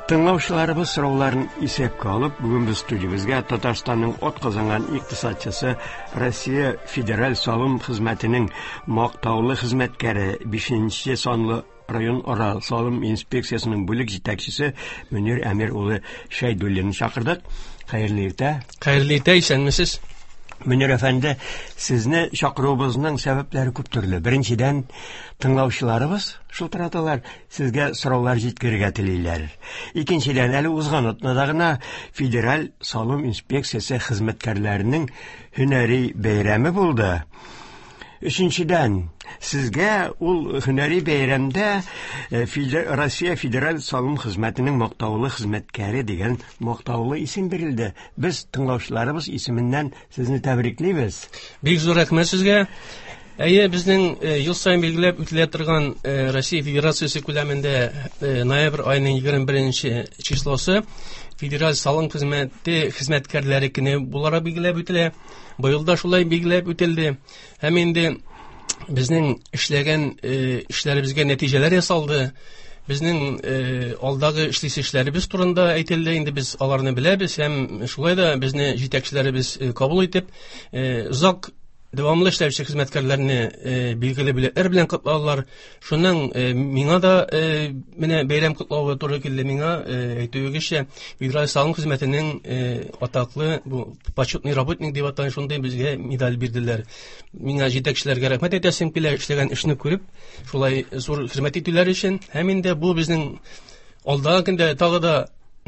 Тыңлаучыларыбыз сорауларын исәпкә алып, бүген без студиябезгә Татарстанның атказанган икътисадчысы, Россия Федераль салым хезмәтенең мактаулы хезмәткәре, 5 санлы район ара салым инспекциясенең бүлек җитәкчесе Мөнир Әмир улы Шәйдуллинны чакырдык. Хәерле иртә. Хәерле иртә, исәнмесез. Мөнир әфәнде, сезне чакыруыбызның сәбәпләре күп төрле. Беренчедән, тыңлаучыларыбыз шылтыраталар, сезгә сораулар җиткерергә телиләр. Икенчедән, әле узган атнада гына Федераль салым инспекциясе хезмәткәрләренең һөнәри бәйрәме булды. Өченчедән, сезгә ул һөнәри бәйрәмдә Россия Федераль салым хезмәтенең мактаулы хезмәткәре дигән мактаулы исем бирелде. Без тыңлаучыларыбыз исеменнән сезне тәбриклибез. Бик зур рәхмәт сезгә. Әйе, безнең ел саен билгеләп үтелә торган Россия Федерациясе күләмендә ноябрь аеның 21 числосы Федераль салым хезмәте хезмәткәрләре көне буларак билгеләп үтелә. Быел да шулай билгеләп үтелде. Һәм инде безнең эшләгән эшләребезгә нәтиҗәләр ясалды. Безнең алдагы эшлисе эшләребез турында әйтелде. Инде без аларны беләбез һәм шулай да безне җитәкчеләребез кабул итеп, озак дәвамлы эшләүче хезмәткәрләрне билгеле бүләкләр белән котладылар. Шуннан миңа да менә бәйрәм котлавы туры килде. Миңа әйтүегезчә, Федераль салым хезмәтенең атаклы бу почетный работник дип аталган шундый безгә медаль бирделәр. Миңа җитәкчеләргә рәхмәт әйтәсем килә, эшләгән эшне күреп, шулай зур хезмәт итүләр өчен. Һәм инде бу безнең алдагы көндә тагы да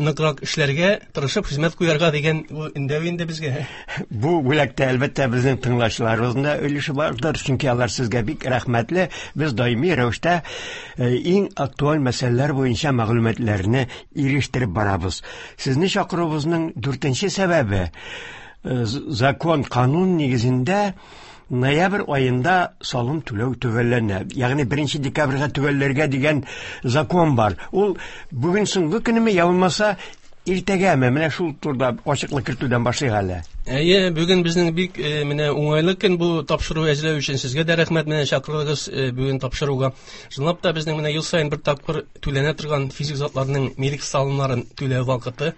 ныграк эшләргә, тырышып хезмәт куярга дигән бу өндәү инде безгә. Бу бүләктә әлбәттә безнең тыңлаучыларыбызның да өлеше бардыр, чөнки алар сезгә бик рәхмәтле. Без даими рәвештә иң актуаль мәсьәләләр буенча мәгълүматларны ирештереп барабыз. Сезне чакыруыбызның дүртенче сәбәбе закон, канун нигезендә ноябрь аенда салым түләү төгәлләнә. Ягъни 1 декабрьгә төгәлләргә дигән закон бар. Ул бүген соңгы көнеме, я булмаса иртәгәме? Менә шул турыда ачыклык кертүдән башлыйк әле. Әйе, бүген безнең бик менә уңайлы көн бу тапшыру әзерләү өчен. Сезгә дә рәхмәт, менә чакырдыгыз бүген тапшыруга. Чынлап та безнең менә ел саен бер тапкыр түләнә торган физик затларның милек салымнарын түләү вакыты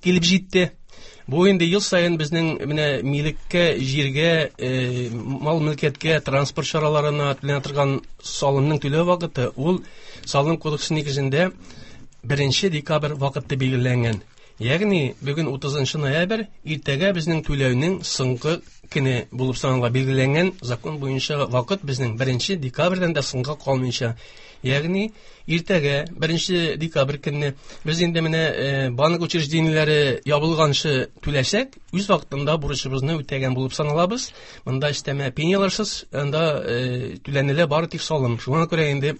килеп җитте. Бу инде ел саен безнең менә милеккә, җиргә, мал-мөлкәткә, транспорт чараларына түләнә торган салымның түләү вакыты, ул салым кодексы нигезендә 1 декабрь вакыты билгеләнгән. Ягъни бүген 30 ноябрь, иртәгә безнең түләүнең соңгы көне булып санала. Билгеләнгән закон буенча вакыт безнең 1 декабрьдән дә соңга калмыйча. Ягъни иртәгә 1 декабрь көнне без инде менә банк учреждениеләре ябылганчы түләсәк, үз вакытында бурычыбызны үтәгән булып саналабыз. Монда өстәмә пеняларсыз, анда түләнелә бары тик салым. Шуңа күрә инде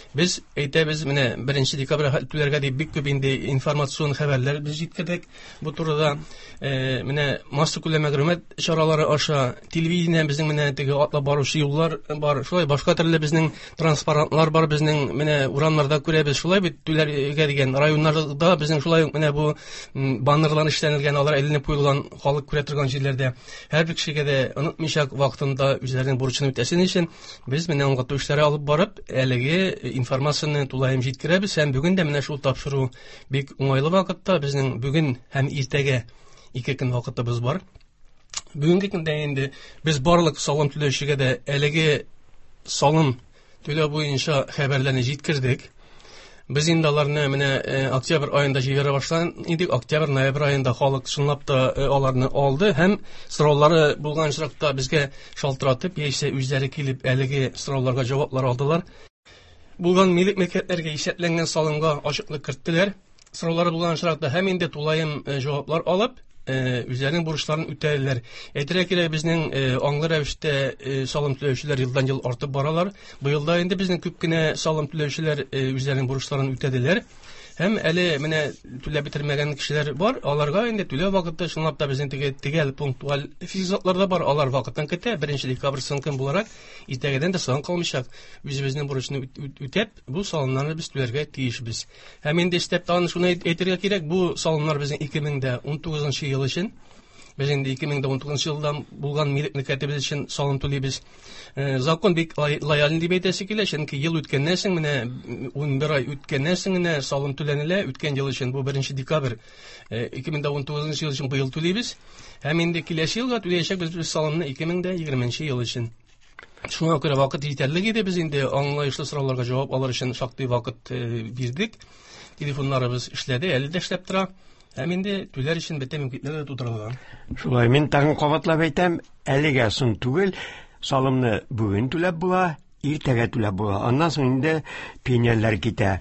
без әйтәбез, менә 1 декабрь түләргә дип бик күп инде информацион хәбәрләр без җиткердек бу турыда. Менә массакүләм мәгълүмат чаралары аша, телевидение безнең менә теге атлап баручы юллар бар, шулай башка төрле безнең транспарантлар бар, безнең менә урамнарда күрәбез, шулай бит түләргә дигән районнарда безнең шулай ук менә бу баннерлар эшләнелгән, алар эленеп куелган, халык күрә торган җирләрдә. Һәрбер кешегә дә онытмыйча вакытында үзләренең бурычын үтәсен өчен без менә аңлату эшләре алып барып, әлеге информацияне тулаем җиткерәбез. Һәм бүген дә менә шул тапшыру бик уңайлы вакытта, безнең бүген һәм иртәгә 2 көн вакытыбыз бар. Бүгенге көндә инде без барлык салым түләүчегә дә әлеге салым түләү буенча хәбәрләрне җиткердек. Без инде аларны менә октябрь аенда җибәрә башлаган идек. Октябрь, ноябрь аенда халык чынлап та аларны алды һәм сораулары булган очракта безгә шалтыратып, яисә үзләре килеп әлеге сорауларга җаваплар алдылар. Булган милек мөлкәтләргә исәпләнгән салымга ачыклык керттеләр. Сораулары булган очракта һәм инде тулаем җаваплар алып, үзләренең бурычларын үтәделәр. Әйтергә кирәк, безнең аңлы рәвештә салым түләүчеләр елдан-ел артып баралар. Быел да инде безнең күп кенә салым түләүчеләр үзләренең бурычларын үтәделәр. Һәм әле менә түләп бетермәгән кешеләр бар, аларга инде түләү вакыты чынлап та безнең теге төгәл пунктуаль физик затлар да бар, алар вакытын көтә. 1 декабрь соң көн буларак, иртәгәдән дә соң калмыйча үзебезнең бурычны үтәп, бу салымнарны без түләргә тиешбез. Һәм инде өстәп тагын шуны әйтергә кирәк, бу салымнар безнең 2019 ел өчен. Без инде 2019 елдан булган милек мөлкәтебез өчен салым түлибез. Закон бик лояльный дип әйтәсе килә, чөнки ел үткәннән соң менә 11 ай үткәннән соң генә салым түләнелә. Үткән ел өчен бу 1 декабрь 2019 ел өчен быел түлибез. Һәм инде киләсе елга түләячәкбез без салымны 2020 ел өчен. Шуңа күрә вакыт җитәрлек иде, без инде аңлаешлы сорауларга җавап алыр өчен шактый вакыт бирдек. Телефоннарыбыз эшләде, әле дә эшләп тора. Һәм инде түләр өчен бөтен мөмкинлекләр дә тудырылган. Шулай, мин тагын кабатлап әйтәм, әлегә соң түгел, салымны бүген түләп була, иртәгә түләп була. Аннан соң инде пеняләр китә.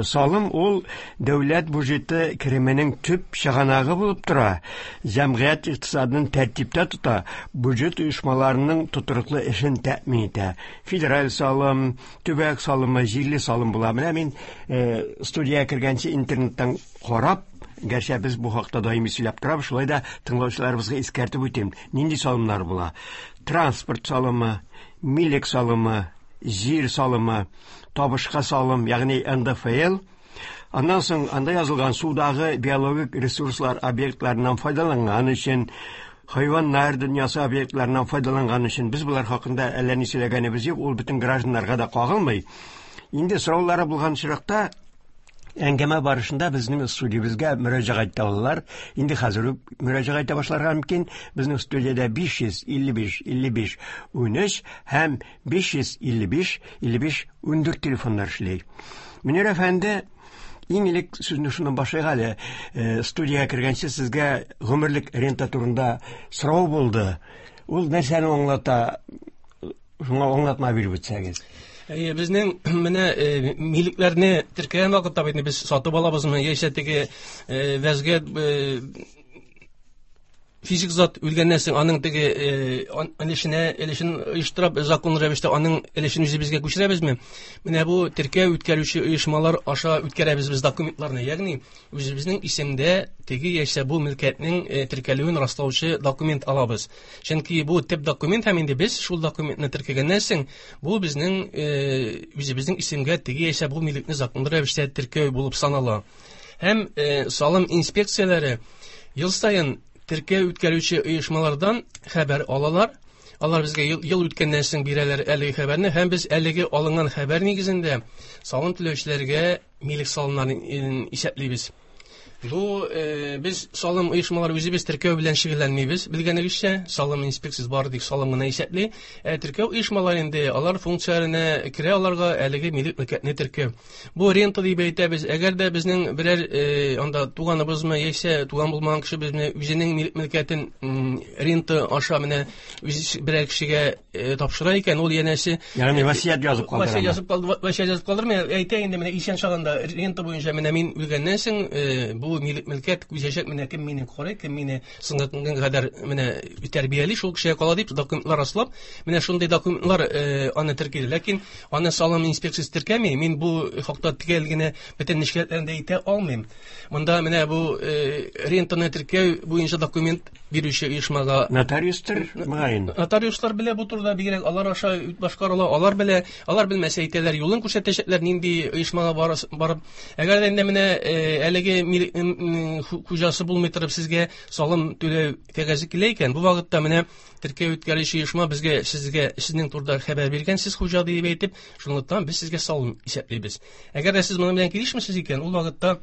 Салым ул дәүләт бюджеты кеременең төп чыганагы булып тора. Җәмгыять икътисадын тәртиптә тота, бюджет оешмаларының тотрыклы эшен тәэмин итә. Федераль салым, төбәк салымы, җирле салым була. Менә мин студиягә кергәнче интернеттан карап, гәрчә без бу хакта даими сөйләп торабыз, шулай да тыңлаучыларыбызга искәртеп үтим, нинди салымнар була? Транспорт салымы, милек салымы, җир салымы, табышка салым, ягъни НДФЛ. Аннан соң анда язылган судагы биологик ресурслар объектларыннан файдаланган өчен, хайваннар дөньясы объектларыннан файдаланган өчен без болар хакында әллә ни сөйләгәнебез юк, ул бөтен гражданнарга да кагылмый. Инде сораулары булган очракта әңгәмә барышында безнең студиябезгә мөрәҗәгать итә алалар. Инде хәзер үк мөрәҗәгать итә башларга мөмкин. Безнең студиядә 555 55 13 һәм 555 55 14 телефоннар эшли. Мөнир әфәнде, иң элек сүзне шуннан башлыйк әле. Студиягә кергәнче сезгә гомерлек рента турында сорау булды. Ул нәрсәне аңлата? Шуңа аңлатма биреп үтсәгез. Әйе, безнең менә милекләрне теркәгән вакытта бит без сатып алабызмы, яисә теге вәзгыять физик зат үлгәннән соң аның теге өлешен оештырып, законлы рәвештә аның өлешен үзебезгә күчерәбезме? Менә бу теркәү үткәрүче оешмалар аша үткәрәбез без документларны, ягъни үзебезнең исемдә теге яисә бу мөлкәтнең теркәлүен раслаучы документ алабыз. Чөнки бу төп документ, һәм инде без шул документны теркәгәннән соң бу безнең үзебезнең исемгә теге яисә бу милекне законлы рәвештә теркәү булып санала. Һәм салым инспекцияләре ел саен теркәү үткәрүче оешмалардан хәбәр алалар. Алар безгә ел үткәннән соң бирәләр әлеге хәбәрне, һәм без әлеге алынган хәбәр нигезендә салым түләүчеләргә милек салымнарын исәплибез. Бу без салым оешмалары үзебез теркәү белән шөгыльләнмибез. Белгәнегезчә, салым инспекциясе бары тик салым гына исәпли. Теркәү оешмалары инде алар функцияләренә керә, аларга әлеге милек мөлкәтне теркәү. Бу рента дип әйтәбез. Әгәр дә безнең берәр анда туганыбызмы, яисә туган булмаган кеше безне үзенең милек мөлкәтен рента аша менә үз берәр кешегә тапшыра икән, ул янәсе Ягъни васыять язып калдыра. Васыять язып калды, васыять язып калдырмый, әйтә инде менә исән чагында рента буенча менә мин үлгәннән соң бу милек мөлкәт күчәчәк, менә кем мине карый, кем мине соңгы көнгә кадәр менә тәрбияли, шул кешегә кала дип документлар раслап, менә шундый документлар аны теркиде. Ләкин аны салым инспекциясе теркәми, мин бу хакта төгәл генә бөтен нечкәлекләрен дә әйтә алмыйм. Монда менә бу рентаны теркәү буенча документ бирүче оешмага нотариустыр, мөгаен. Нотариуслар белә бу турыда, бигрәк алар аша башкарыла, алар белә, алар белмәсә әйтәләр, юлын күрсәтәчәкләр, нинди оешмага барып. Әгәр дә инде менә әлеге хуҗасы булмый торып сезгә салым түләү кәгазе килә икән, бу вакытта менә теркәү үткәрүче оешма безгә, сезгә, сезнең турыда хәбәр биргән, сез хуҗа дип әйтеп, шунлыктан без сезгә салым исәплибез. Әгәр дә сез моның белән килешмисез икән, ул вакытта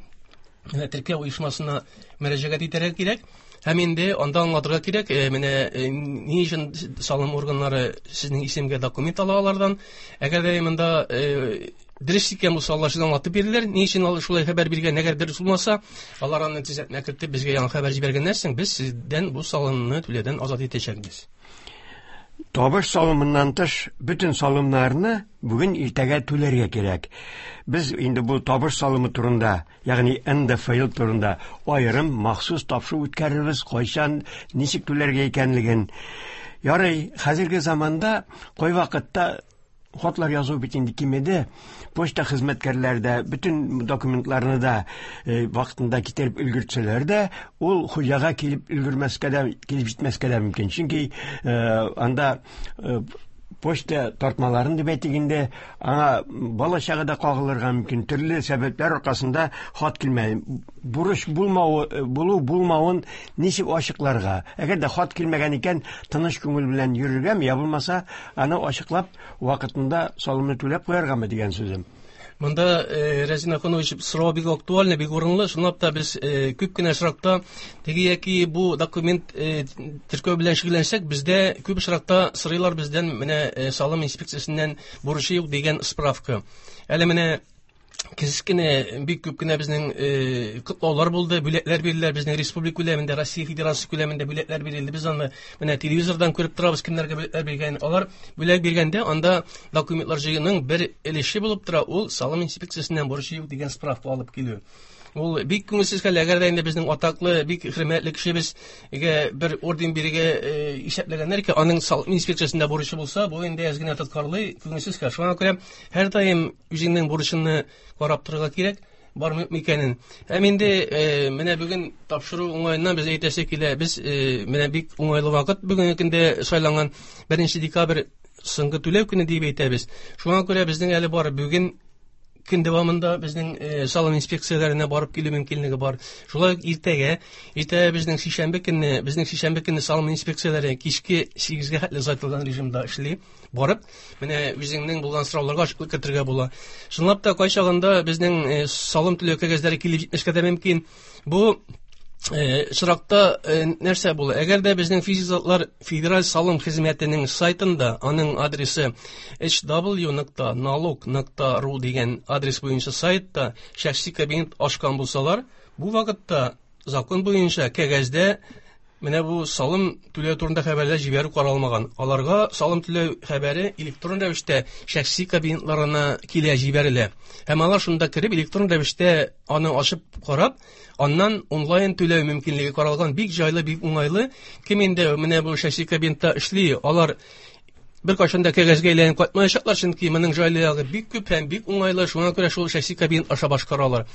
менә теркәү оешмасына мөрәҗәгать итәргә кирәк. Һәм инде анда аңлатырга кирәк, менә ни өчен салым органнары сезнең исемгә документ ала алардан. Әгәр дә монда дөрес икән булса, алар сезгә аңлатып бирерләр, ни өчен алар шулай хәбәр биргән. Әгәр дөрес булмаса, алар аны төзәтмә кертеп безгә яңа хәбәр җибәргәннән соң, без сездән бу салымны түләүдән азат итәчәкбез. Табыш салымыннан тыш бөтен салымнарны бүген иртәгә түләргә кирәк. Без инде бу табыш салымы турында, ягъни НДФЛ турында аерым махсус тапшыру үткәрербез, кайчан, ничек түләргә икәнлеген. Ярый, хәзерге заманда кайвакытта хатлар язу бит инде кимеде. Почта хезмәткәрләре дә бөтен документларны да вакытында китереп өлгертсәләр дә, ул хуҗага килеп өлгермәскә дә, килеп җитмәскә дә мөмкин. Чөнки анда Почта тартмаларын дип әйтик инде, аңа бала чага да кагылырга мөмкин. Төрле сәбәпләр аркасында хат килмәде. Бурыч булмавы, булу булмавын ничек ачыкларга? Әгәр дә хат килмәгән икән, тыныч күңел белән йөрергәме, я булмаса, аны ачыклап, вакытында салымны түләп куяргамы дигән сүзем. Монда Рәзин Ахунович сорау бик актуальный, бик урынлы. Чынлап та без күп кенә очракта теге яки бу документ теркәү белән шөгыльләнсәк, бездә күп очракта сорыйлар бездән менә салым инспекциясеннән бурычы юк дигән справка. Әле менә кечкенә бик күп кенә безнең котлаулар булды, бүләкләр бирделәр безнең республика күләмендә, Россия Федерациясе күләмендә бүләкләр бирелде. Без аны менә телевизордан күреп торабыз, кемнәргә бүләкләр биргән. Алар бүләк биргәндә анда документлар җыюның бер өлеше булып тора, ул салым инспекциясеннән бурычы юк дигән справка алып килү. Ул бик күңелсез хәл, әгәр дә инде безнең атаклы, бик хөрмәтле кешебезгә бер орден бирергә исәпләгәннәр икән, аның салым инспекциясендә бурычы булса, бу инде әз генә тоткарлый, күңелсез хәл. Шуңа күрә һәрдаим үзеңнең бурычыңны карап торырга кирәк, бармы икәнен. Һәм инде менә бүген тапшыру уңаеннан без әйтәсе килә, без менә бик уңайлы вакыт бүгенге көндә сайланган 1 декабрь соңгы түләү көне дип әйтәбез. Шуңа күрә безнең әле бар бүген көн дәвамында безнең салым инспекцияләренә барып килү мөмкинлеге бар. Шулай ук иртәгә безнең сишәмбе көнне салым инспекцияләре кичке 8-гә хәтле озайтылган режимда эшли. Барып, менә үзеңнең булган сорауларга ачыклык кертергә була. Чынлап та кайчагында безнең салым түләү кәгазьләре килеп җитмәскә дә мөмкин. Бу очракта нәрсә була? Әгәр дә безнең физик затлар Федераль салым хезмәтенең сайтында, аның адресы hw.налог.ru дигән адрес буенча сайтта шәхси кабинет ачкан булсалар, бу вакытта закон буенча кәгазьдә менә бу салым түләү турында хәбәрләр җибәрү каралмаган. Аларга салым түләү хәбәре электрон рәвештә шәхси кабинетларына килә җибәрелә. Һәм алар шунда кереп электрон рәвештә аны ачып карап, аннан онлайн түләү мөмкинлеге каралган. Бик җайлы, бик уңайлы. Кем инде менә бу шәхси кабинетта эшли, алар бер кайчан да кәгазьгә әйләнеп кайтмаячаклар, чөнки моның җайлы ягы бик күп һәм бик уңайлы, шуңа күрә шул шәхси кабинет аша башкаралар.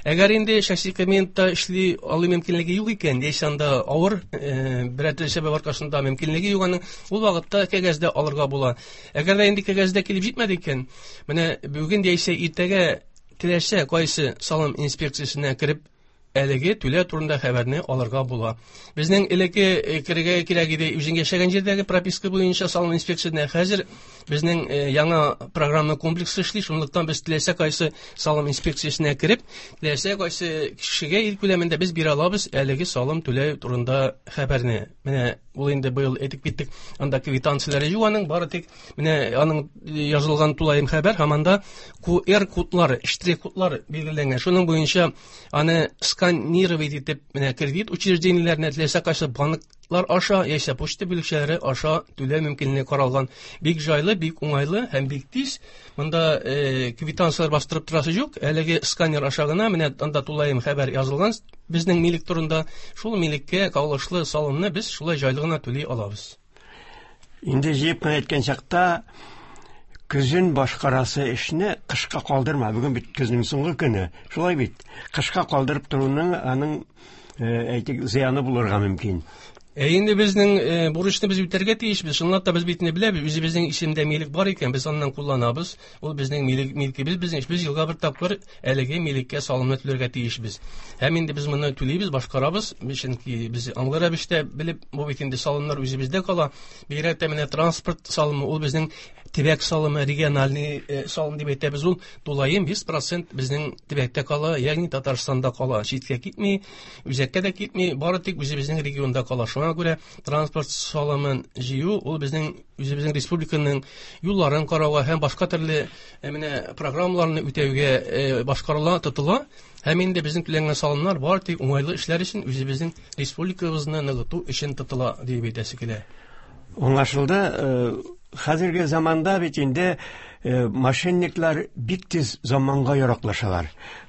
Әгәр инде шәхси кабинетта эшли алу мөмкинлеге юк икән, яисә анда авыр, берәр төрле сәбәп аркасында мөмкинлеге юк аның, ул вакытта кәгазьдә алырга була. Әгәр дә инде кәгазьдә килеп җитмәде икән, менә бүген яисә иртәгә теләсә кайсы салым инспекциясенә кереп әлеге түләү турында хәбәрне алырга була. Безнең элекке керергә кирәк иде үзең яшәгән җирдәге прописка буенча салым инспекциясенә. Хәзер безнең яңа программа комплексы эшли, шунлыктан без теләсә кайсы салым инспекциясенә кереп, теләсә кайсы кешегә ил күләмендә без бирә алабыз әлеге салым түләү турында хәбәрне. Менә ул инде быел әйтеп киттек, анда квитанцияләре юк аның, бары тик менә аның язылган тулаем хәбәр һәм анда QR кодлары, штрих кодлары билгеләнгән. Шуның буенча аны сканировать итеп, менә кредит учреждениеләренә теләсә кайсы банклар аша, яисә почта бүлекчәләре аша түләү мөмкинлеге каралган. Бик җайлы, бик уңайлы һәм бик тиз. Монда квитанцияләр бастырып торасы юк. Әлеге сканер аша гына менә анда тулаем хәбәр язылган безнең милек турында. Шул милеккә кагылышлы салымны без шулай җайлы гына түли алабыз. Инде җыеп кына әйткән чакта, көзен башкарасы эшне кышка калдырма. Бүген бит көзнең соңгы көне. Шулай бит. Кышка калдырып торуның аның, әйтик, зыяны булырга мөмкин. Инде безнең бурычны без үтәргә тиешбез. Чынлап та без бит инде беләбез, үзебезнең исемдә милек бар икән, без аннан кулланабыз. Ул безнең милек, милкебез, безнең эш. Без елга бер тапкыр әлеге милеккә салымны түләргә тиешбез. Һәм инде без моны түлибез, башкарабыз. Чөнки без аңлы рәвештә белеп, бу бит инде салымнар үзебездә кала. Бигрәк тә менә транспорт салымы, ул безнең төбәк салымы, региональный салым дип әйтәбез, ул тулаем 100% безнең төбәктә кала, ягъни Татарстанда кала, читкә китми, үзәккә дә китми, бары тик үзебезнең регионда кала. Шуңа күрә транспорт салымын җыю ул безнең үзебезнең республиканың юлларын карауга һәм башка төрле менә программаларны үтәүгә башкарыла, тотыла. Һәм инде безнең түләнгән салымнар бары тик уңайлы эшләр өчен, үзебезнең республикабызны ныгыту өчен тотыла дип әйтәсе килә. Аңлашылды. Хәзерге заманда бит инде мошенниклар бик тиз заманга яраклашалар.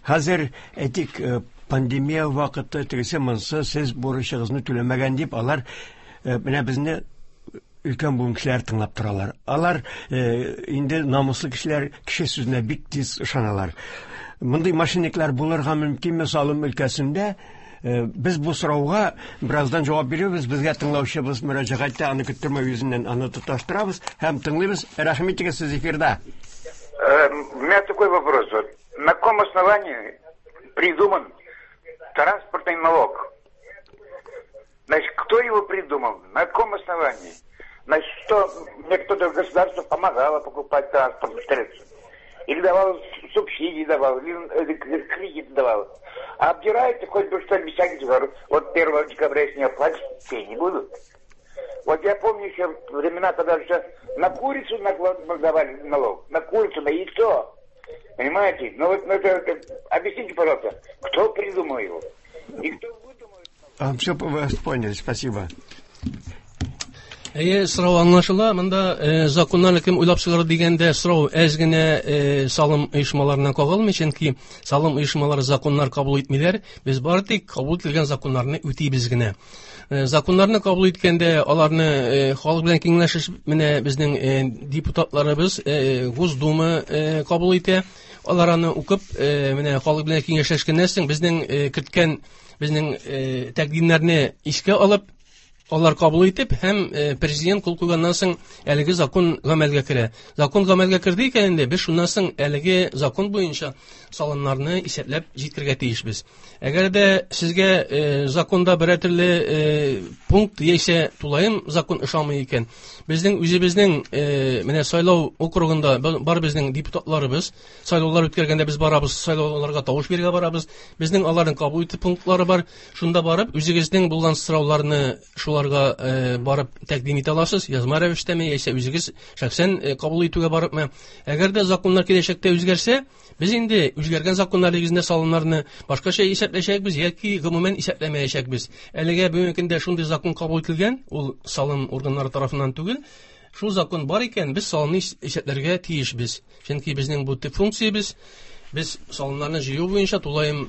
Хәзер, әйтик, пандемия вакыты, тегесе монсы, сез бурычыгызны түләмәгән дип, алар менә безне өлкән буын кешеләр тыңлап торалар. Алар инде намуслы кешеләр, кеше сүзенә бик тиз ышаналар. Мондый мошенниклар булырга мөмкинме салым өлкәсендә? Без бу сорауга бераздан җавап бирербез. Безгә тыңлаучыбыз мөрәҗәгать итә, аны көттермәү йөзеннән аны тоташтырабыз һәм тыңлыйбыз. Рәхим итегез, сез эфирда. У меня такой вопрос. Вот, на каком основании придуман транспортный налог? Значит, кто его придумал? На каком основании? Значит, что мне кто-то государство помогало покупать транспортные средства? Или давал субсидии давал, или кредит давал. А обдирайте хоть бы что, без всяких. Вот 1 декабря, если не оплатить, пени будут. Вот я помню еще времена, когда еще на курицу давали налог, на курицу, на яйцо. Понимаете? Ну вот, ну, это, объясните, пожалуйста, кто придумал его? И кто выдумал? А, все, вас поняли, спасибо. Әйе, сорау аңлашыла. Монда законнарны кем уйлап чыгарды дигәндә сорау әз генә салым оешмаларына кагылмый, чөнки салым оешмалары законнар кабул итмиләр. Без бары тик кабул ителгән законнарны үтибез генә. Законнарны кабул иткәндә аларны халык белән киңәшләшеп, менә безнең депутатларыбыз Госдума кабул итә. Алар аны укып, менә халык белән киңәшләшкәннән соң безнең керткән безнең тәкъдимнәрне искә алып, алар кабул итеп һәм президент кул куйганнан соң әлеге закон гамәлгә керә. Закон гамәлгә керде икән инде, без шуннан соң әлеге закон буенча салымнарны исәпләп җиткерергә тиешбез. Әгәр дә сезгә законда берәр төрле пункт яисә тулаем закон ошамый икән, безнең үзебезнең менә сайлау округында бар безнең депутатларыбыз, сайлаулар үткәргәндә без барабыз, сайлауларга тавыш бирергә барабыз. Безнең аларның кабул итү пунктлары бар. Шунда барып, үзегезнең булган сорауларны шуларга барып тәкъдим итә аласыз, язма рәвештәме, яисә үзегез шәхсән кабул итүгә барыпмы. Әгәр дә законнар киләчәктә үзгәрсә, без инде үзгәргән законнар нигезендә салымнарны башкача исәпләячәкбез яки гомумән исәпләмәячәкбез. Әлегә бүгенге көндә шундый закон кабул ителгән, ул салым органнары тарафыннан түгел. Шул закон бар икән, без салымны исәпләргә тиешбез. Чөнки безнең бу төп функциябез, без салымнарны җыю буенча, тулаем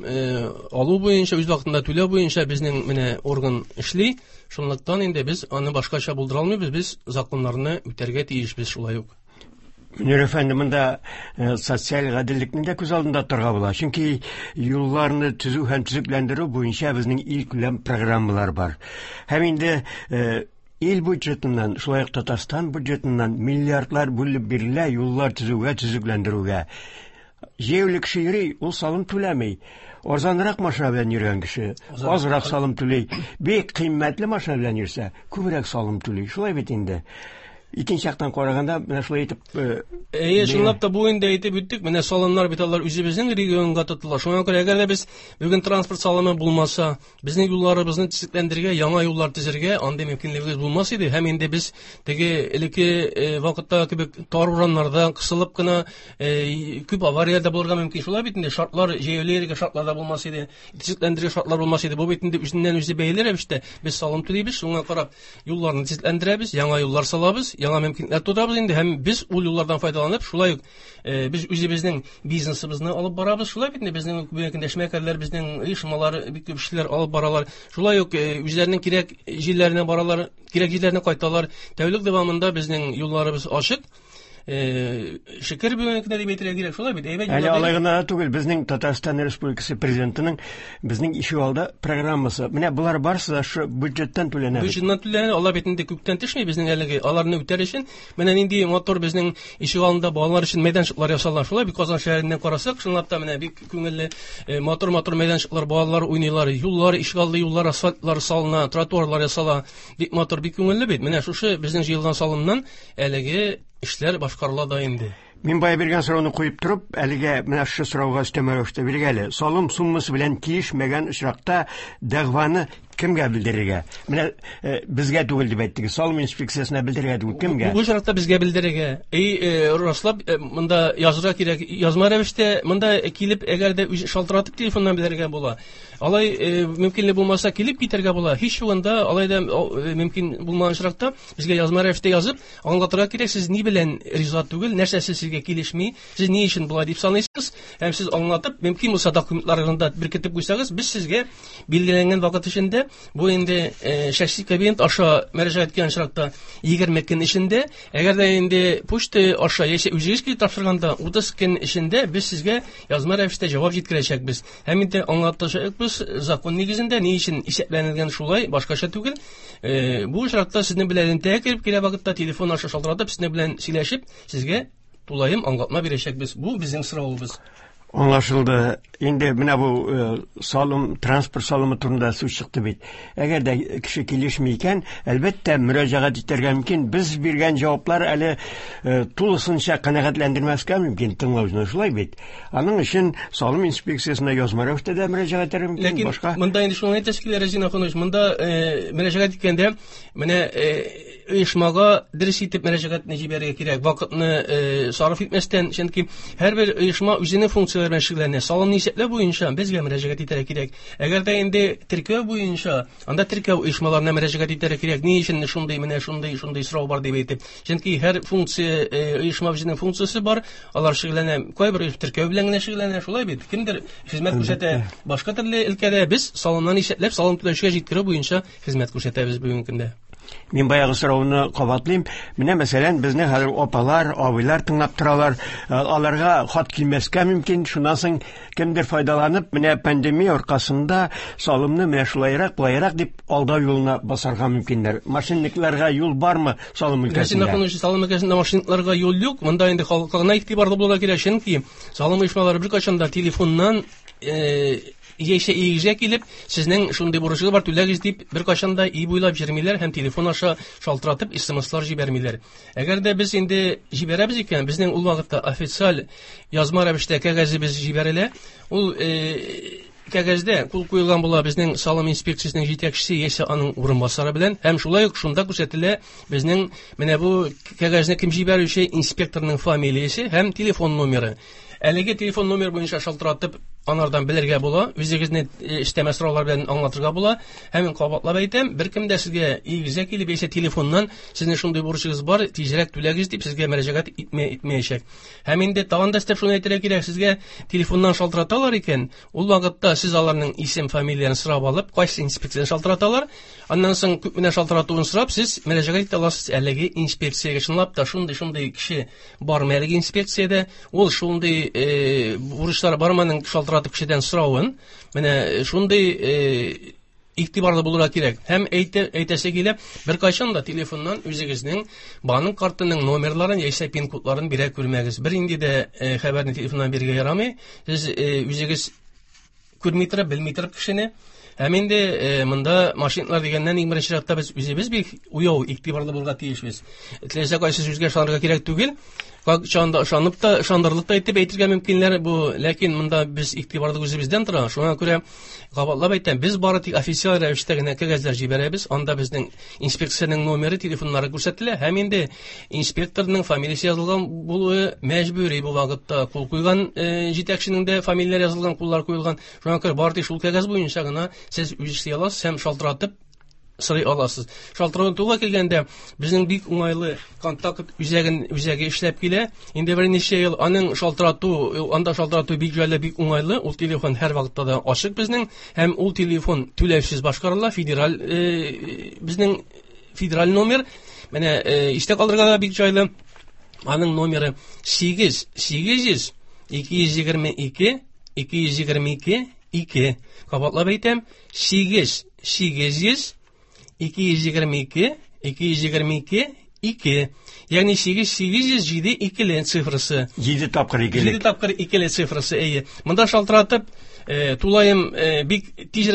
алу буенча, үз вакытында түләү буенча безнең менә орган эшли. Шунлыктан инде без аны башкача булдыра алмыйбыз, без законнарны үтәргә тиешбез шулай ук. Мөнир әфәнде, монда социаль гаделлекне дә күз алдында тотарга була. Чөнки юлларны төзү һәм төзекләндерү буенча безнең илкүләм программалар бар. Һәм инде ил бюджетыннан, шулай ук Татарстан бюджетыннан миллиардлар бүлеп бирелә юллар төзүгә, төзекләндерүгә. Җәяүле кеше йөри, ул салым түләми. Арзанрак машина белән йөргән кеше азрак салым түли. Бик кыйммәтле машина белән йөрсә, күбрәк салым түли. Шулай бит инде. Икенче яктан караганда, менә шулай итеп, Әйе, чынлап та бу инде әйтеп үттек. Менә салымнар бит алар үзебезнең регионга тотыла. Шуңа күрә әгәр дә без бүген транспорт салымы булмаса, безнең юлларыбызны төзекләндерергә, яңа юллар төзергә андый мөмкинлегебез булмас иде. Һәм инде без теге элекке вакытта кебек тар урамнарда кысылып кына күп аварияләр дә булырга мөмкин. Шулай бит инде шартлар, җәяүле йөрергә шартлар да булмас иде, төзекләндерергә шартлар булмас иде. Бу бит инде үзеннән үзе бәйле рәвештә без салым түлибез, шуңа карап юлларны төзекләндерәбез, яңа юллар салабыз, яңа мөмкинлекләр тудырабыз инде һәм без ул юллардан файдаланып, шулай ук без үзебезнең бизнесыбызны алып барабыз. Шулай бит инде безнең бүгенге көндә эшмәкәрләр, безнең оешмалар бик күп эшләр алып баралар. Шулай ук үзләренең кирәк җирләренә баралар, кирәк җирләренә кайталар. Тәүлек дәвамында безнең юлларыбыз ачык. Шөкер бүгенге көндә дип әйтергә кирәк, шулай бит, әйбәт Әле юллар алай гына да түгел, безнең Татарстан Республикасы президентының безнең ишегалды программасы. Менә болар барысы да шу бюджеттан түләнә бит. Бюджеттан түләнә, алар бит инде күктән төшми безнең әлеге, аларны үтәр өчен менә нинди матур безнең ишегалдында балалар өчен мәйданчыклар ясала. Шулай бит, Казан шәһәреннән карасак, чынлап та менә бик күңелле, матур-матур мәйданчыклар, балалар уйныйлар, юллар, ишегалды юллар, асфальтлар салына, тротуарлар ясала. Бик матур, бик күңелле бит. Менә шушы безнең җыелган салымнан әлеге эшләр башкарыла да инде. Мин бая биргән сорауны куеп торып, әлегә менә шушы сорауга өстәмә рәвештә бирик әле. Салым суммасы белән килешмәгән очракта дәгъваны кемгә белдерергә? Менә безгә түгел дип әйттегез, салым инспекциясенә белдерергә түгел, кемгә? Бу очракта безгә белдерергә. Раслап, монда язырга кирәк, язма рәвештә монда килеп, әгәр дә үз шалтыратып телефоннан белдерергә була. Алай мөмкинлек булмаса килеп китәргә була. Һич югында алай да мөмкин булмаган очракта безгә язма рәвештә язып аңлатырга кирәк, сез ни белән риза түгел, нәрсәсе сезгә килешми, сез ни өчен болай дип саныйсыз, һәм сез аңлатып, мөмкин булса документларыгызны да беркетеп куйсагыз, без сезгә билгеләнгән вакыт эчендә эчендә. Бу инде шәхси кабинет аша мөрәҗәгать иткән очракта 20 көн эчендә. Әгәр дә инде почта аша яисә үзегез килеп тапшырганда 30 көн эчендә без сезгә язма рәвештә җавап җиткерәчәкбез. Һәм инде аңлатачакбыз закон нигезендә ни өчен исәпләнелгән шулай, башкача түгел. Бу очракта сезнең белән элемтәгә кереп килә вакытта телефон аша шалтыратып, сезнең белән сөйләшеп, сезгә тулаем аңлатма бирәчәкбез. Бу безнең соравыбыз. Аңлашылды. Инде менә бу салым, транспорт салымы турында сүз чыкты бит. Әгәр дә кеше килешми икән, әлбәттә, мөрәҗәгать итәргә мөмкин. Без биргән җаваплар әле тулысынча канәгатьләндермәскә мөмкин тыңлаучыны, шулай бит. Аның өчен салым инспекциясенә язма рәвештә дә мөрәҗәгать итәргә мөмкин. Ләкин башка монда инде шуны әйтәсе килә, Разин Ахунович, монда мөрәҗәгать иткәндә менә оешмага дөрес итеп мөрәҗәгатьне җибәрергә кирәк, вакытны сарыф итмәстән, чөнки һәрбер оешма үзенең функцияләре белән шөгыльләнә. Салымны исәпләү буенча безгә мөрәҗәгать итәргә кирәк. Әгәр дә инде теркәү буенча, анда теркәү оешмаларына мөрәҗәгать итәргә кирәк. Ни өчен шундый, менә шундый, шундый сорау бар дип әйтеп. Чөнки һәр функция, оешма үзенең функциясе бар, алар шөгыльләнә. Кайбер оешма теркәү белән генә шөгыльләнә, шулай бит. Кемдер хезмәт күрсәтә башка төрле өлкәдә. Без салымнан исәпләп, салым түләүчегә җиткерү буенча хезмәт күрсәтәбез бүгенге көндә. Мин баягы сорауны кабатлыйм. Менә мәсәлән, безне хәзер апалар, абыйлар тыңлап торалар. Аларга хат килмәскә мөмкин. Шуннан соң кемдер файдаланып, менә пандемия аркасында салымны менә шулайрак, былайрак дип алдау юлына басарга мөмкиннәр. Мошенникларга юл бармы салым өлкәсендә? Рәсим Ахунович, салым өлкәсендә мошенникларга юл юк. Монда инде халыкка гына игътибарлы булырга кирәк, чөнки салым оешмалары беркайчан да телефоннан яисә өегезгә килеп, сезнең шундый бурычыгыз бар, түләгез дип беркайчан да өй буйлап йөрмиләр һәм телефон аша шалтыратып смслар җибәрмиләр. Әгәр дә без инде җибәрәбез икән, безнең ул вакытта официаль язма рәвештә кәгазебез җибәрелә. Ул кәгазьдә кул куелган була безнең салым инспекциясенең җитәкчесе яисә аның урынбасары белән, һәм шулай ук шунда күрсәтелә безнең менә бу кәгазьне кем җибәрүче инспекторның фамилиясе һәм телефон номеры. Әлеге телефон номер буенча шалтыратып анардан белергә була, үзегезне өстәмә сораулар белән аңлатырга була. Һәм мин кабатлап әйтәм, беркем дә сезгә өегезгә килеп яисә телефоннан сезнең шундый бурычыгыз бар, тизрәк түләгез дип сезгә мөрәҗәгать итмәячәк. Һәм инде тагын да өстәп шуны әйтергә кирәк, сезгә телефоннан шалтыраталар икән, ул вакытта сез аларның исем, фамилияләрен сорап алып, кайсы инспекциядән шалтыраталар, аннан соң күпменә шалтыратуын сорап, сез мөрәҗәгать итә аласыз әлеге инспекциягә. Чынлап та шундый-шундый кеше бармы әлеге инспекциядә, ул шундый бурычлар бармы аның шалтыратып кешедән соравын, менә шундый игътибарлы булырга кирәк. Һәм әйтәсе килә, беркайчан да телефоннан үзегезнең банк картының номерларын яисә пин-кодларын бирә күрмәгез. Бер инде дә хәбәрне телефоннан бирергә ярамый. Сез үзегез күрми торып, белми торып кешене. Һәм инде монда мошенниклар дигәннән иң беренче чиратта без үзебез бик уяу, игътибарлы булырга тиешбез. Теләсә кайсы сүзгә ышанырга кирәк түгел. Кайчан да ышанып та, ышандырырлык та итеп әйтергә мөмкиннәр бу, ләкин монда без игътибарлы үзебездән тора. Шуңа күрә кабатлап әйтәм, без бары тик официаль рәвештә генә кәгазьләр җибәрәбез. Анда безнең инспекциянең номеры, телефоннары күрсәтелә һәм инде инспекторның фамилиясе язылган булуы мәҗбүри бу вакытта. Кул куйган җитәкченең дә фамилияләре язылган, куллар куелган. Шуңа күрә бары тик шул кәгазь буенча гына сез үз эшли аласыз һәм шалтыратып сорый аласыз. Шалтыратуга килгәндә безнең бик уңайлы контакт үзәге эшләп килә. Инде берничә ел аның шалтырату, анда шалтырату бик җайлы, бик уңайлы. Ул телефон һәр вакытта да ачык безнең һәм ул телефон түләүсез башкарыла. Федераль безнең федераль номер. Менә истә калдырырга да бик җайлы. Аның номеры сигез, сигез йөз, ике йөз егерме ике, ике йөз егерме ике, ике. Кабатлап әйтәм, сигез, сигез йөз, ике йөз егерме ике, ике йөз егерме ике, ике. Ягъни сигез, сигез йөз җиде икеле цифрасы. Җиде тапкыр икеле. Җиде тапкыр икеле цифрасы, әйе. Монда шалтыратып, тулаем бик тиз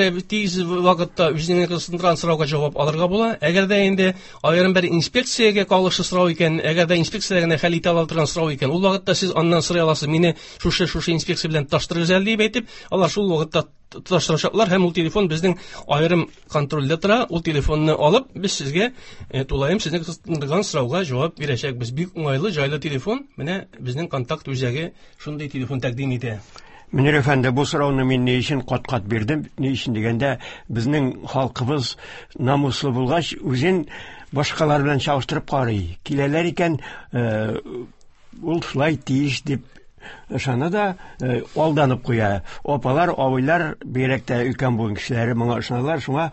вакытта үзеңне кызыксындырган сорауга җавап алырга була. Әгәр дә инде аерым бер инспекциягә кагылышлы сорау икән, әгәр дә инспекция генә хәл итә ала торган сорау икән, ул вакытта сез аннан сорый аласыз, мине шушы инспекция белән тоташтырыгыз әле дип әйтеп, алар шул вакытта тоташтырачаклар һәм ул телефон безнең аерым контрольдә тора. Ул телефонны алып, без сезгә тулаем сезне кызыксындырган сорауга җавап бирәчәкбез. Бик уңайлы, җайлы телефон. Менә безнең контакт үзәге шундый телефон тәкъдим итә. Мөнир әфәнде, бу сорауны мин ни өчен кат-кат бирдем? Ни өчен дигәндә, безнең халкыбыз намуслы булгач, үзен башкалар белән чагыштырып карый. Киләләр икән, ул шулай тиеш дип Ышана да алданып куя. Апалар, абыйлар, бигрәк тә өлкән буын кешеләре моңа ышаналар. Шуңа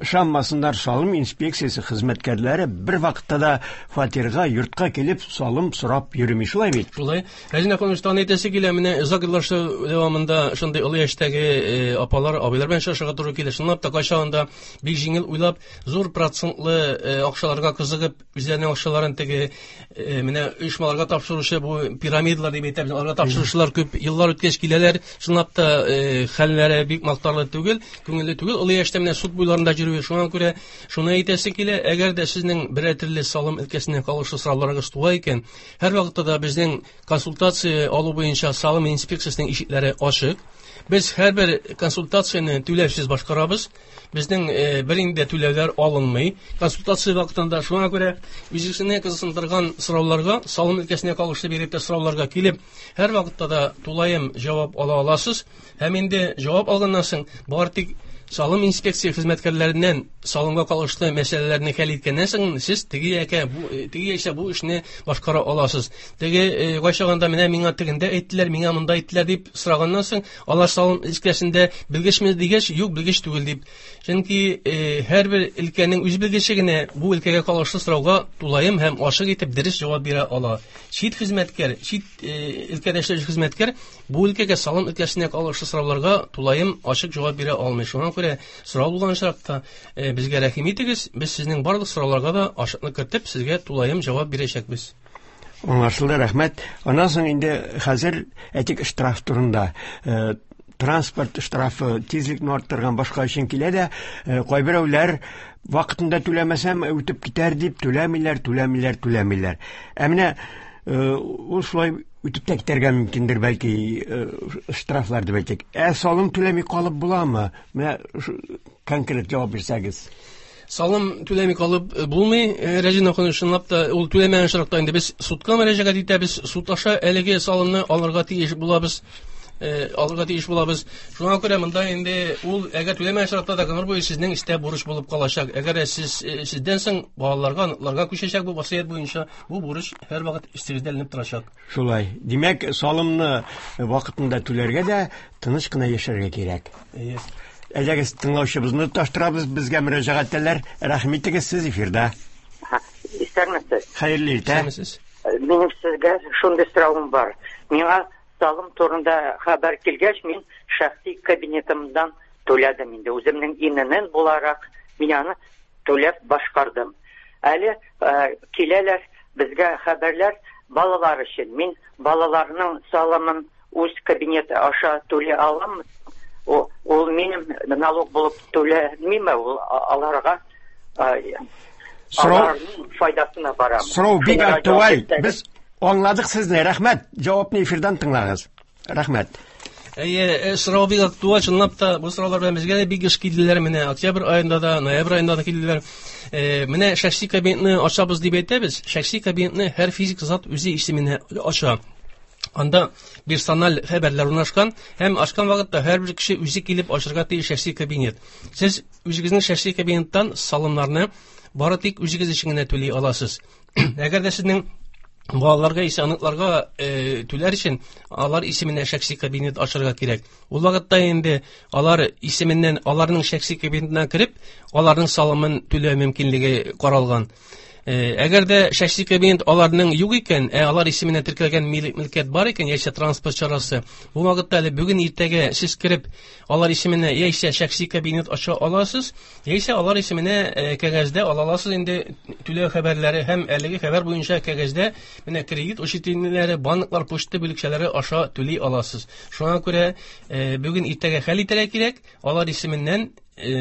ышанмасыннар, салым инспекциясе хезмәткәрләре бер вакытта да фатирга, йортка килеп салым сорап йөрми. Шулай бит? Шулай. Рәзин апаның тагын әйтәсе килә, менә озак еллар дәвамында шундый олы яшьтәге апалар, абыйлар белән очрашырга туры килә. Чынлап та кайчагында бик җиңел уйлап, зур процентлы акчаларга кызыгып, үзләренең акчаларын теге менә оешмаларга тапшыручы бу пирамидалар дип әйтәбез, аларга тапшыручылар күп еллар үткәч киләләр. Чынлап та хәлләре бик мактарлы түгел, күңелле түгел. Олы яшьтә менә суд буйларында йөрүе. Шуңа күрә шуны әйтәсе килә, әгәр дә сезнең берәр төрле салым өлкәсенә кагылышлы сорауларыгыз туа икән, һәрвакытта да безнең консультация алу буенча салым инспекциясенең ишекләре ачык. Без һәрбер консультацияне түләүсез башкарабыз. Безнең бер инде түләүләр алынмый. Консультация вакытында шуңа күрә үзегезне кызыксындырган сорауларга, салым өлкәсенә кагылышлы бигрәк тә сорауларга килеп, һәр вакытта да тулаем җавап ала аласыз. Һәм инде җавап алганнан соң бары тик салым инспекция хезмәткәрләреннән салымга кагылышлы мәсьәләләрне хәл иткәннән соң сез теге яки бу, теге яисә бу эшне башкара аласыз. Теге кайчагында менә миңа тегендә әйттеләр, миңа монда әйттеләр дип сораганнан соң, алар салым өлкәсендә белгечме дигәч, юк, белгеч түгел дип. Чөнки һәрбер өлкәнең үз белгече генә бу өлкәгә кагылышлы сорауга тулаем һәм ачык итеп дөрес җавап бирә ала. Чит хезмәткәр, чит өлкәдә эшләүче хезмәткәр бу өлкәгә салым өлкәсенә кагылышлы сорауларга тулаем ачык җавап бирә алмый. Шуңа күрә сорау булган очракта безгә рәхим итегез, без сезнең барлык сорауларга да ачыклык кертеп, сезгә тулаем җавап бирәчәкбез. Аңлашылды, рәхмәт. Аннан соң инде хәзер әйтик штраф турында. Транспорт штрафы тизлекне арттырган башка өчен килә дә, кайберәүләр вакытында түләмәсәм үтеп китәр дип түләмиләр, түләмиләр, түләмиләр. Ә менә ул шулай үтеп тә китәргә мөмкиндер, бәлки штрафлар дип әйтик. Ә салым түләми калып буламы? Менә конкрет җавап бирсәгез. Салым түләми калып булмый, Рәзин ахун, чынлап та ул түләмәгән очракта инде без судка мөрәҗәгать итәбез, суд аша әлеге салымны алырга тиеш булабыз. Алырга тиеш булабыз. Шуңа күрә монда инде ул әгәр түләмәгән очракта да гомер буе сезнең истә бурыч булып калачак. Әгәр сез сездән соң балаларга, оныкларга күчәчәк бу васыять буенча, бу бурыч һәрвакыт өстегездә эленеп торачак. Шулай. Димәк, салымны вакытында түләргә дә, тыныч кына яшәргә кирәк. Әйе. Әйдәгез, тыңлаучыбызны тоташтырабыз, безгә мөрәҗәгать итәләр. Рәхим итегез, сез эфирда. Исәнмесез. Хәерле иртә. Исәнмесез. Минем сезгә шундый соравым бар. Миңа салым турында хәбәр килгәч, мин шәхси кабинетымдан түләдем инде. Үземнең ИНН буларак мин аны түләп башкардым. Әле киләләр безгә хәбәрләр балалар өчен. Мин балаларның салымын үз кабинеты аша түли алам. Ул минем налог булып түләмиме, ул аларга аларның файдасына барамы? Сорау бик актуаль. Без аңладык сезне, рәхмәт. Җавапны эфирдан тыңлагыз. Рәхмәт. Әйе, сорау бик актуаль, чынлап та бу сораулар белән безгә дә бик еш килделәр. Менә октябрь аенда да, ноябрь аенда да килделәр. Менә шәхси кабинетны ачабыз дип әйтәбез. Шәхси кабинетны һәр физик зат үзе исеменә ача. Анда персональ хәбәрләр урнашкан һәм ачкан вакытта һәрбер кеше үзе килеп ачырга тиеш шәхси кабинет. Сез үзегезнең шәхси кабинеттан салымнарны бары тик үзегез өчен генә түли аласыз. Әгәр дә сезнең балаларга исә оныкларга түләр өчен алар исеменә шәхси кабинет ачырга кирәк. Ул вакытта инде алар исеменнән, аларның шәхси кабинетына кереп, аларның салымын түләү мөмкинлеге каралган. Әгәр дә шәхси кабинет аларның юк икән, алар исеменә теркәлгән мөлкәт бар икән, яисә транспорт чарасы, бу вакытта әле бүген иртәгә сез кереп, алар исеменә яисә шәхси кабинет ача аласыз, яисә алар исеменә кәгазьдә ала аласыз инде түләү хәбәрләре һәм әлеге хәбәр буенча кәгазьдә менә кредит учреждениеләре, банклар, почта бүлекчәләре аша түли аласыз. Шуңа күрә бүген иртәгә хәл итәргә кирәк, алар исеменнән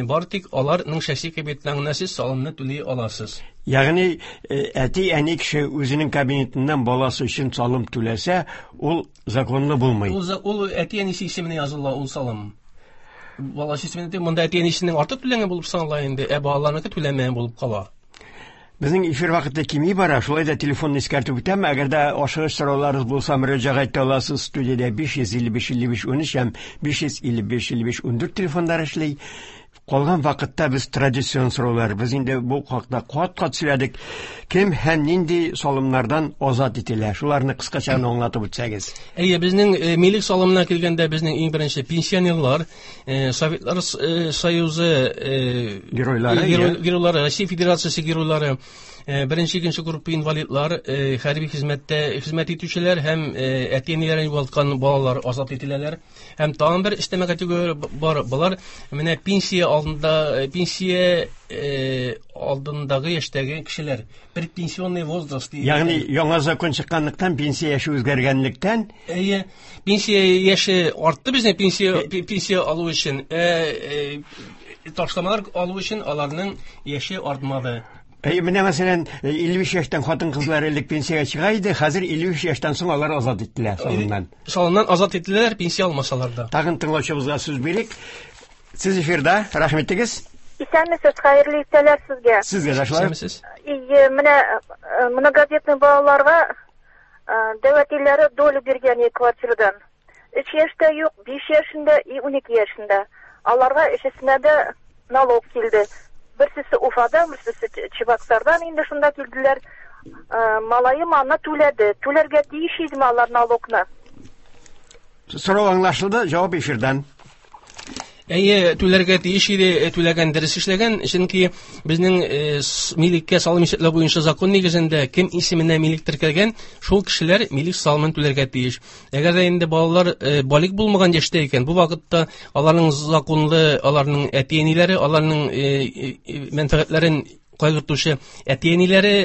бары тик аларның шәхси кабинетына гына сез салымны түли аласыз. Ягъни әти-әни кеше үзенең кабинетыннан баласы өчен салым түләсә, ул законлы булмый. Ул әти-әнисе исеменә языла ул салым. Баласы исеменә, монда әти-әнисенең артык түләгән булып санала инде, ә балаларныкы түләмәгән булып кала. Безнең эфир вакыты кими бара, шулай да телефонны искәртеп үтәм. Әгәр дә ашыгыч сорауларыгыз булса, мөрәҗәгать итә аласыз. Студиядә 555 55 13 һәм 555 55 14 телефоннар эшли. Калган вакытта без традицион сораулар, без инде бу хакта кат-кат сөйләдек. Кем һәм нинди салымнардан азат ителә? Шуларны кыскача гына аңлатып үтсәгез. Әйе, безнең милек салымына килгәндә безнең иң беренче пенсионерлар, Советлар Союзы геройлары, геройлары, Россия Федерациясе геройлары, беренче, икенче группа инвалидлар, хәрби хезмәттә хезмәт итүчеләр һәм әти-әниләрен югалткан балалар азат ителәләр. Һәм тагын бер өстәмә категория бар. Болар менә пенсия алдында, пенсия алдындагы яшьтәге кешеләр. Предпенсионный возраст дигән. Ягъни яңа закон чыкканлыктан, пенсия яше үзгәргәнлектән, Әйе, пенсия яше артты безнең пенсия алу өчен. Ташламалар алу өчен аларның яше артмады. Әйе, менә мәсәлән, 53 яшьтән хатын-кызлар элек пенсиягә чыга иде, хәзер 53 яшьтән соң алар азат ителә салымнан. Салымнан азат ителәләр, пенсия алмасалар да. Тагын тыңлаучыбызга сүз бирик. Сез эфирда, рәхмәт итегез. Исәнмесез, хәерле иртәләр сезгә. Сезгә дә шулай. Исәнмесез. Ие, менә многодетный балаларга дәү әтиләре долю биргән квартирадан. 3 яшьтә юк, 5 яшендә и 12 яшендә. Аларга өчесенә дә налог килде. Берсесе Уфадан, берсесе Чебоксардан инде шунда килделәр. Малаем аны түләде. Түләргә тиеш идеме алар налогны? Сорау аңлашылды, җавап эфирдан. Әйе, түләргә тиеш иде, түләгән, дөрес эшләгән, чөнки безнең милеккә салым исәпләү буенча закон нигезендә кем исеменә милек теркәлгән, шул кешеләр милек салымын түләргә тиеш. Әгәр дә инде балалар балигъ булмаган яшьтә икән, бу вакытта аларның законлы, аларның әти-әниләре, аларның мәнфәгатьләрен кайгыртучы әти-әниләре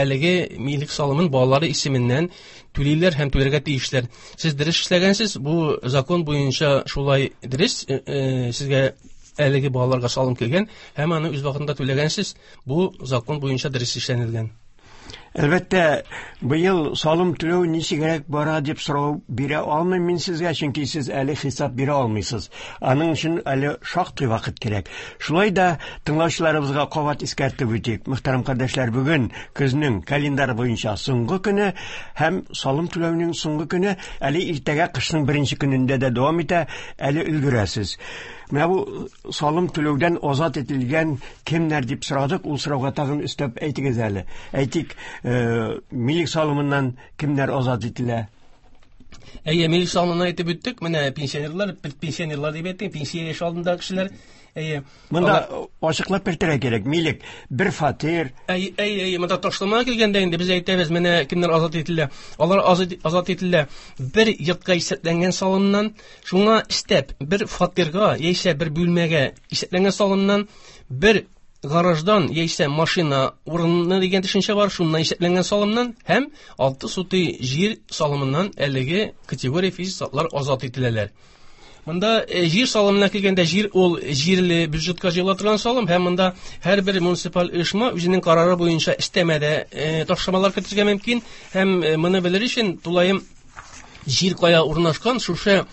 әлеге милек салымын балалары исеменнән түлиләр һәм түләргә тиешләр. Сез дөрес эшләгәнсез, бу закон буенча шулай дөрес, сезгә әлеге балаларга салым килгән һәм аны үз вакытында түләгәнсез, бу закон буенча дөрес эшләнелгән. Әлбәттә, быел салым түләү ничегрәк бара дип сорау бирә алмыйм мин сезгә, чөнки сез әле хисап бирә алмыйсыз. Аның өчен әле шактый вакыт кирәк. Шулай да тыңлаучыларыбызга кабат искәртеп үтик. Мөхтәрәм кардәшләр, бүген көзнең календарь буенча соңгы көне һәм салым түләүнең соңгы көне әле иртәгә кышның беренче көнендә дә дәвам итә, әле өлгерәсез. Менә бу салым түләүдән азат ителгән кемнәр дип сорадык, ул сорауга тагын өстәп әйтегез әле. Әйтик, милек салымыннан кемнәр азат ителә? Әйе, милек салымыннан әйтеп үттек. Менә пенсионерлар, пенсионерлар дип әйттек, пенсия яше алдындагы кешеләр. Әйе. Монда ачыклап кертергә кирәк. Милек бер фатир. Әйе, әйе, әйе, монда ташламага килгәндә инде без әйтәбез, менә кемнәр азат ителә. Алар азат ителә бер йортка исәпләнгән салымнан, шуңа өстәп бер фатирга яисә бер бүлмәгә исәпләнгән салымнан, бер гараждан яисә машина урыны дигән төшенчә бар, шуннан исәпләнгән салымнан һәм 6 сутый җир салымыннан әлеге категория физик затлар азат ителәләр. Монда җир салымына килгәндә, җир ул җирле бюджетка җыела торган салым һәм монда һәрбер муниципаль оешма үзенең карары буенча өстәмәдә ташламалар кертергә мөмкин һәм моны белер өчен тулаем җир кая урнашкан, шушы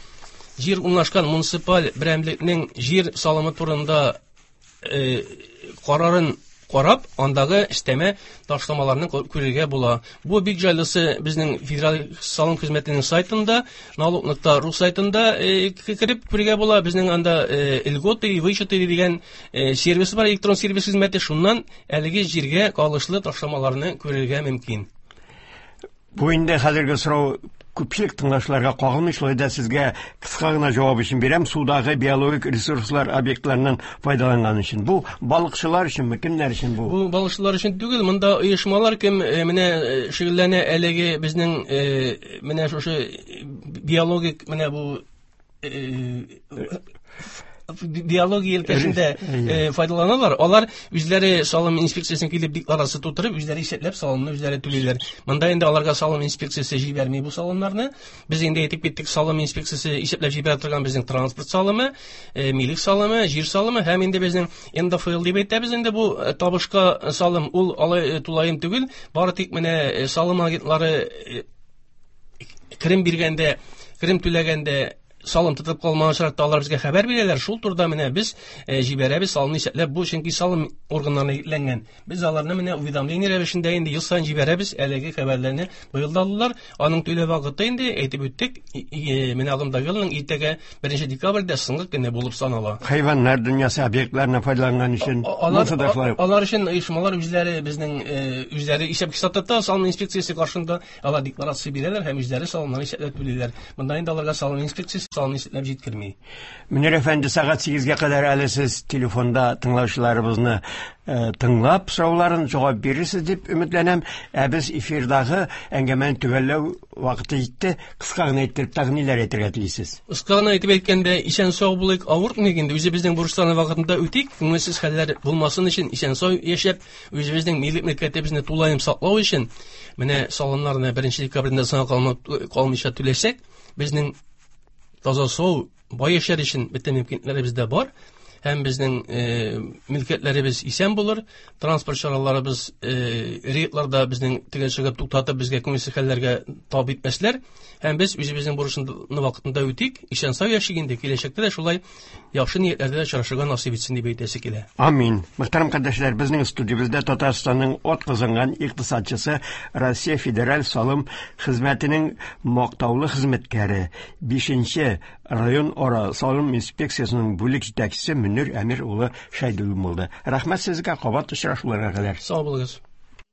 җир урнашкан муниципаль берәмлекнең җир салымы турында карарын карап, андагы өстәмә ташламаларны күрергә була. Бу бик җайлысы безнең Федераль салым хезмәтенең сайтында, налог.ру сайтында кереп күрергә була. Безнең анда льготы и вычеты дигән сервис бар, электрон сервис хезмәте. Шуннан әлеге җиргә калышлы ташламаларны күрергә мөмкин. Бу инде хәзерге сорау күпчелек тыңлаучыларга кагылмый, шулай да сезгә кыска гына җавап өчен бирәм. Судагы биологик ресурслар объектларыннан файдаланган өчен. Бу балыкчылар өченме, кемнәр өчен бу? Бу балыкчылар өчен түгел, монда оешмалар кем менә шөгыльләнә әлеге безнең менә шушы биологик менә бу биология өлкәсендә файдаланалар. Алар үзләре салым инспекциясенә килеп декларация тутырып, үзләре исәпләп салымны үзләре түлиләр. Монда инде аларга салым инспекциясе җибәрми бу салымнарны. Без инде әйтеп киттек, салым инспекциясе исәпләп җибәрә торган безнең транспорт салымы, милек салымы, җир салымы һәм инде безнең НДФЛ дип әйтәбез инде бу табышка салым, ул алай тулаем түгел, бары тик менә салым агентлары керем биргәндә, керем түләгәндә Салым тотып калмаган очракта алар безгә хәбәр бирәләр. Шул турыда менә без җибәрәбез салымны исәпләп. Бу чөнки салым органнарына йөкләнгән. Без аларны менә уведомление рәвешендә инде ел саен җибәрәбез. Әлеге хәбәрләрне быел да алдылар. Аның түләү вакыты инде әйтеп үттек. Менә агымдагы елның иртәгә 1 декабрьдә соңгы көне булып санала. Хайваннар дөньясы объектларына файдаланган өчен алар, алар өчен оешмалар үзләре безнең үзләре исәп-хисап тота салым инспекциясе каршында. Алар декларация бирәләр һәм үзләре салымнарны исәпләп түлиләр. Монда инде аларга салым инспекциясе салымны исәпләп җиткерми. Мөнир әфәнде, сәгать 8-гә кадәр әле сез телефонда тыңлаучыларыбызны тыңлап сорауларын җавап бирерсез дип өметләнәм. Ә без эфирдагы әңгәмәне төгәлләү вакыты җитте. Кыска гына иттереп тагын ниләр әйтергә телисез? Кыска гына итеп әйткәндә, исән-сау булыйк, авыртмыйк инде, үзебезнең бурычларны вакытында үтик, күңелсез хәлләр булмасын өчен исән-сау яшәп, үзебезнең милек мөлкәтебезне тулаем саклау өчен менә салымнарны 1 декабрьдән соңга калмыйча түләсәк, безнең таза сау бай яшәр өчен бөтен мөмкинлекләребез дә бар. Һәм безнең мөлкәтләребез исән булыр, транспорт чараларыбыз рейдларда безнең төгәл чыгып туктатып безгә күңелсез хәлләргә тап итмәсләр. Һәм без үзебезнең бурычны вакытында үтик, исән сау яшик инде, киләчәктә дә шулай яхшы ниятләрдә очрашырга насыйп итсен дип әйтәсе килә. Амин. Мөхтәрәм кардәшләр, безнең студиябездә Татарстанның ат казанган икътисадчысы, Россия Федераль салым хезмәтенең мактаулы хезмәткәре, 5-нче район ара салым инспекциясенең бүлек җитәкчесе Мөнир Әмир улы Шәйдуллин булды. Рәхмәт сезгә, кабат очрашуларга кадәр. Сау булыгыз.